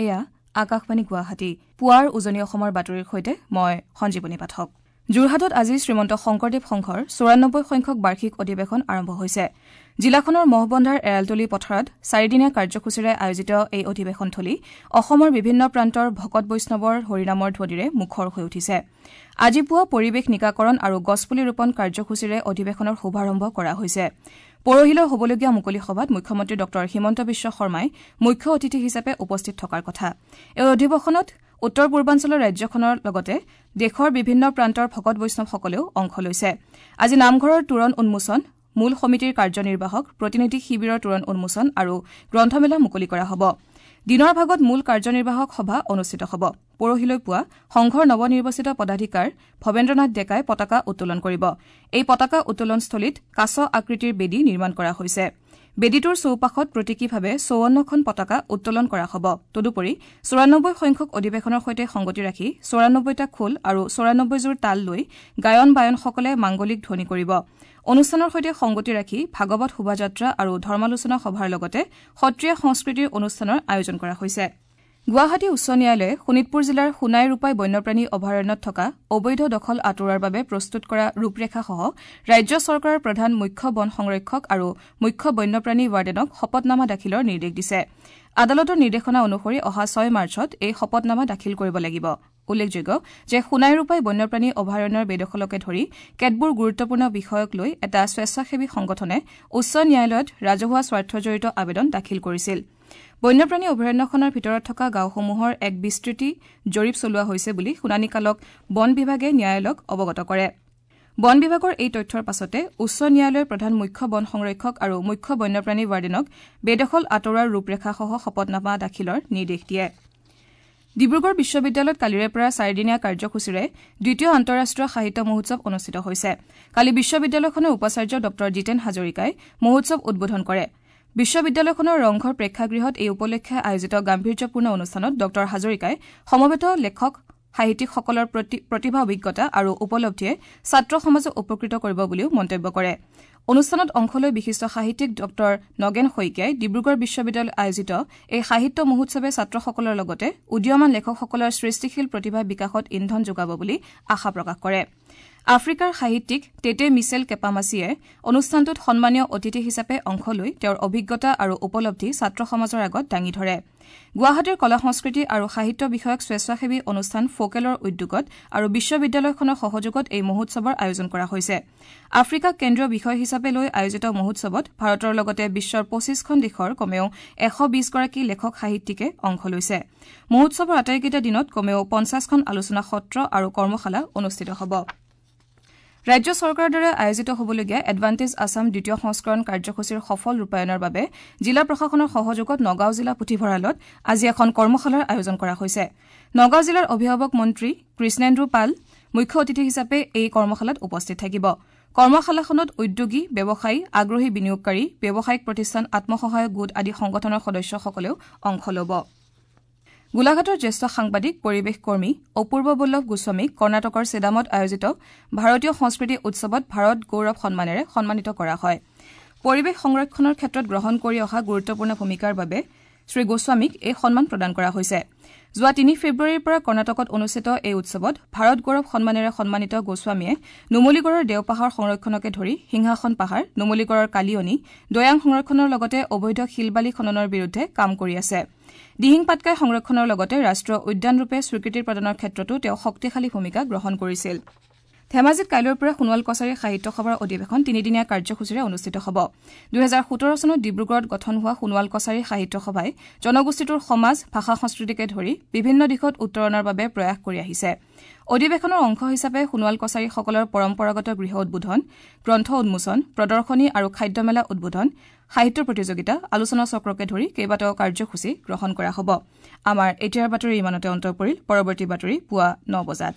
এয়া আকাশবাণী গুৱাহাটী। পুৱাৰ উজনি অসমৰ বাতৰিৰ সৈতে মই সঞ্জীৱনী পাঠক। যোৰহাটত আজি শ্ৰীমন্ত শংকৰদেৱ সংঘৰ ৯৪ সংখ্যক বাৰ্ষিক অধিৱেশন আৰম্ভ হৈছে। জিলাখনৰ মহবন্ধাৰ এৰালতলী পথাৰত চাৰিদিনীয়া কাৰ্যসূচীৰে আয়োজিত এই অধিৱেশনথলী অসমৰ বিভিন্ন প্ৰান্তৰ ভকত বৈষ্ণৱৰ হৰিনামৰ ধ্বনিৰে মুখৰ হৈ উঠিছে। আজি পুৱা পৰিৱেশ নিকাকৰণ আৰু গছপুলি ৰোপণ কাৰ্যসূচীৰে অধিৱেশনৰ শুভাৰম্ভ কৰা হৈছে। পৰহিলৈ হ'বলগীয়া মুকলি সভাত মুখ্যমন্ত্ৰী ডঃ হিমন্ত বিশ্ব শৰ্মাই মুখ্য অতিথি হিচাপে উপস্থিত থকাৰ কথা। এই অধিৱেশনত উত্তৰ পূৰ্বাঞ্চলৰ ৰাজ্যখনৰ লগতে দেশৰ বিভিন্ন প্ৰান্তৰ ভকত বৈষ্ণৱসকলেও অংশ লৈছে। আজি নামঘৰৰ তোৰণ উন্মোচন, মূল সমিতিৰ কাৰ্যনিৰ্বাহক, প্ৰতিনিধি শিবিৰৰ তোৰণ উন্মোচন আৰু গ্ৰন্থমেলা মুকলি কৰা হ'ব। দিনৰ ভাগত মূল কাৰ্যনিৰ্বাহক সভা অনুষ্ঠিত হ'ব। পৰহিলৈ পুৱা সংঘৰ নৱনিৰ্বাচিত পদাধিকাৰ ভৱেন্দ্ৰনাথ ডেকাই পতাকা উত্তোলন কৰিব। এই পতাকা উত্তোলনস্থলীত কাছ আকৃতিৰ বেদী নিৰ্মাণ কৰা হৈছে। বেদীটোৰ চৌপাশত প্ৰতীকীভাৱে ৫৪খন পতাকা উত্তোলন কৰা হ'ব। তদুপৰি ৯৪ সংখ্যক অধিৱেশনৰ সৈতে সংগতি ৰাখি ৯৪টা খোল আৰু ৯৪যোৰ তাল লৈ গায়ন বায়নসকলে মাংগলিক ধ্বনি কৰিব। অনুষ্ঠানৰ সৈতে সংগতি ৰাখি ভাগৱত শোভাযাত্ৰা আৰু ধৰ্মালোচনা সভাৰ লগতে সত্ৰীয়া সংস্কৃতিৰ অনুষ্ঠানৰ আয়োজন কৰা হৈছে। গুৱাহাটী উচ্চ ন্যায়ালয়ে শোণিতপুৰ জিলাৰ সোণাই ৰূপাই বন্যপ্ৰাণী অভয়াৰণ্যত থকা অবৈধ দখল আঁতৰোৱাৰ বাবে প্ৰস্তুত কৰা ৰূপৰেখাসহ ৰাজ্য চৰকাৰৰ প্ৰধান মুখ্য বন সংৰক্ষক আৰু মুখ্য বন্যপ্ৰাণী ৱাৰ্ডেনক শপতনামা দাখিলৰ নিৰ্দেশ দিছে। আদালতৰ নিৰ্দেশনা অনুসৰি অহা ৬ মাৰ্চত এই শপতনামা দাখিল কৰিব লাগিব। উল্লেখযোগ্য যে সোণাই ৰূপাই বন্যপ্ৰাণী অভয়াৰণ্যৰ বেদখলকে ধৰি কেতবোৰ গুৰুত্বপূৰ্ণ বিষয়ক লৈ এটা স্বেচ্ছাসেৱী সংগঠনে উচ্চ ন্যায়ালয়ত ৰাজহুৱা স্বাৰ্থজড়িত আবেদন দাখিল কৰিছিল। বন্যপ্ৰাণী অভয়াৰণ্যখনৰ ভিতৰত থকা গাঁওসমূহৰ এক বিস্তৃতি জৰীপ চলোৱা হৈছে বুলি শুনানিকালক বন বিভাগে ন্যায়ালয়ক অৱগত কৰে। বন বিভাগৰ এই তথ্যৰ পাছতে উচ্চ ন্যায়ালয়ৰ প্ৰধান মুখ্য বন সংৰক্ষক আৰু মুখ্য বন্যপ্ৰাণী ৱাৰ্ডেনক বেদখল আঁতৰোৱাৰ ৰূপৰেখাসহ শপতনামা দাখিলৰ নিৰ্দেশ দিয়ে। ডিব্ৰুগড় বিশ্ববিদ্যালয়ত কালিৰে পৰা চাৰিদিনীয়া কাৰ্যসূচীৰে দ্বিতীয় আন্তঃৰাষ্ট্ৰীয় সাহিত্য মহোৎসৱ অনুষ্ঠিত হৈছে। কালি বিশ্ববিদ্যালয়খনৰ উপাচাৰ্য ডঃ জিতেন হাজৰিকাই মহোৎসৱ উদ্বোধন কৰে। বিশ্ববিদ্যালয়খনৰ ৰংঘৰ প্ৰেক্ষাগৃহত এই উপলক্ষে আয়োজিত গাম্ভীৰ্যপূৰ্ণ অনুষ্ঠানত ডঃ হাজৰিকাই সমবেত লেখক সাহিত্যিকসকলৰ প্ৰতিভা, অভিজ্ঞতা আৰু উপলব্ধিয়ে ছাত্ৰ সমাজক উপকৃত কৰিব বুলিও মন্তব্য কৰে। অনুষ্ঠানত অংশ লৈ বিশিষ্ট সাহিত্যিক ডঃ নগেন শইকীয়াই ডিব্ৰুগড় বিশ্ববিদ্যালয়ত আয়োজিত এই সাহিত্য মহোৎসৱে ছাত্ৰসকলৰ লগতে উদীয়মান লেখকসকলৰ সৃষ্টিশীল প্ৰতিভা বিকাশত ইন্ধন যোগাব বুলি আশা প্ৰকাশ কৰে। আফ্ৰিকাৰ সাহিত্যিক টেটে মিছেল কেপামাছিয়ে অনুষ্ঠানটোত সন্মানীয় অতিথি হিচাপে অংশ লৈ তেওঁৰ অভিজ্ঞতা আৰু উপলব্ধি ছাত্ৰ সমাজৰ আগত দাঙি ধৰে। গুৱাহাটীৰ কলা সংস্কৃতি আৰু সাহিত্য বিষয়ক স্বেচ্ছাসেৱী অনুষ্ঠান ফকেলৰ উদ্যোগত আৰু বিশ্ববিদ্যালয়খনৰ সহযোগত এই মহোৎসৱৰ আয়োজন কৰা হৈছে। আফ্ৰিকাক কেন্দ্ৰীয় বিষয় হিচাপে লৈ আয়োজিত মহোৎসৱত ভাৰতৰ লগতে বিশ্বৰ ২৫খন দেশৰ কমেও ১২০গৰাকী লেখক সাহিত্যিকে অংশ লৈছে। মহোৎসৱৰ আটাইকেইটা দিনত কমেও ৫০খন আলোচনা সত্ৰ আৰু কৰ্মশালা অনুষ্ঠিত হ'ব। ৰাজ্য চৰকাৰৰ দ্বাৰা আয়োজিত হ'বলগীয়া এডভান্টেজ আছাম দ্বিতীয় সংস্কৰণ কাৰ্যসূচীৰ সফল ৰূপায়ণৰ বাবে জিলা প্ৰশাসনৰ সহযোগত নগাঁও জিলা পুথিভঁৰালত আজি এখন কৰ্মশালাৰ আয়োজন কৰা হৈছে। নগাঁও জিলাৰ অভিভাৱক মন্ত্ৰী কৃষ্ণেন্দু পাল মুখ্য অতিথি হিচাপে এই কৰ্মশালাত উপস্থিত থাকিব। কৰ্মশালাখনত উদ্যোগী, ব্যৱসায়ী, আগ্ৰহী বিনিয়োগকাৰী, ব্যৱসায়িক প্ৰতিষ্ঠান, আত্মসহায়ক গোট আদি সংগঠনৰ সদস্যসকলেও অংশ ল'ব। গোলাঘাটৰ জ্যেষ্ঠ সাংবাদিক, পৰিৱেশ কৰ্মী অপূৰ্ব বল্লভ গোস্বামীক কৰ্ণাটকৰ চেদামত আয়োজিত ভাৰতীয় সংস্কৃতি উৎসৱত ভাৰত গৌৰৱ সন্মানেৰে সন্মানিত কৰা হয়। পৰিৱেশ সংৰক্ষণৰ ক্ষেত্ৰত গ্ৰহণ কৰি অহা গুৰুত্বপূৰ্ণ ভূমিকাৰ বাবে শ্ৰীগোস্বামীক এই সন্মান প্ৰদান কৰা হৈছে। যোৱা ৩ ফেব্ৰুৱাৰীৰ পৰা কৰ্ণাটকত অনুষ্ঠিত এই উৎসৱত ভাৰত গৌৰৱ সন্মানেৰে সন্মানিত গোস্বামীয়ে নুমলীগড়ৰ দেওপাহাৰ সংৰক্ষণকে ধৰি সিংহাসন পাহাৰ, নুমলীগড়ৰ কালিয়নী, দৈয়াং সংৰক্ষণৰ লগতে অবৈধ শিলবালি খননৰ বিৰুদ্ধে কাম কৰি আছে। দিহিং পাটকাই সংৰক্ষণৰ লগতে ৰাষ্ট্ৰীয় উদ্যানৰূপে স্বীকৃতি প্ৰদানৰ ক্ষেত্ৰতো তেওঁ শক্তিশালী ভূমিকা গ্ৰহণ কৰিছিল। ধেমাজিত কাইলৈৰ পৰা সোণোৱাল কছাৰী সাহিত্য সভাৰ অধিৱেশন তিনিদিনীয়া কাৰ্যসূচীৰে অনুষ্ঠিত হ'ব। ২০১৭ চনত ডিব্ৰুগড়ত গঠন হোৱা সোণোৱাল কছাৰী সাহিত্য সভাই জনগোষ্ঠীটোৰ সমাজ, ভাষা সংস্কৃতিকে ধৰি বিভিন্ন দিশত উত্তৰণৰ বাবে প্ৰয়াস কৰি আহিছে। অধিৱেশনৰ অংশ হিচাপে সোণোৱাল কছাৰীসকলৰ পৰম্পৰাগত গৃহ উদ্বোধন, গ্ৰন্থ উন্মোচন, প্ৰদৰ্শনী আৰু খাদ্যমেলা উদ্বোধন, সাহিত্য প্ৰতিযোগিতা, আলোচনা চক্ৰকে ধৰি কেইবাটাও কাৰ্যসূচী গ্ৰহণ কৰা হ'ব। আমাৰ এতিয়াৰ বাতৰি ইমানতে অন্ত পৰিল। পৰৱৰ্তী বাতৰি পুৱা ৯ বজাত।